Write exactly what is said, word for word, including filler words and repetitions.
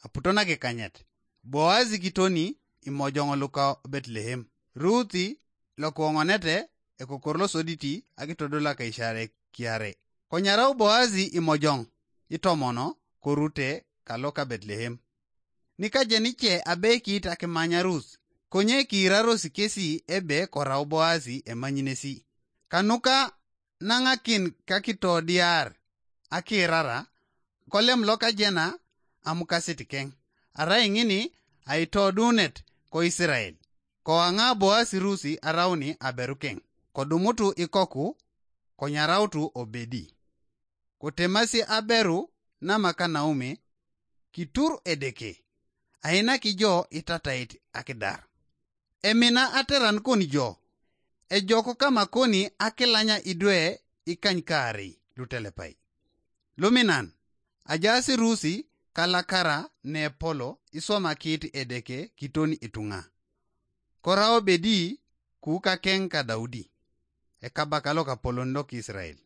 Aputo nakikanyet, Boazi kitoni imojoŋ luka Betlehem, Ruthi lokuoŋonete ekokor losoditi akitodol akaisare kiare. Konyarau Boazi imojoŋ itomono korute kaloka Betlehem. Nikajenice abekit akimanya Ruth, konye kiiraros kesi ebe korau Boazi emanyinesi. Kanuka naŋakin kakitodiar akirara, kolem lokajena amukasit keŋ, arai ŋini aitodunet ko Isirael. Koaŋa Boasi Rusi arauni aberukeŋ, kodumutu ikoku, konyarautu Obedi. Kotemasi aberu namaka Naomi, kitur Edeke, ainaki jo itatait akidar. Emina ateran koni jo, ejok kama koni akilanya idwe ikanykaarei lutelepai. Luminan, ajaasi Rusi kalakara nepolo iswamakit Edeke kiton ituŋa. Kora Obedi kukakeŋ ka Daudi, ekabaka lokapolon lok Isirael.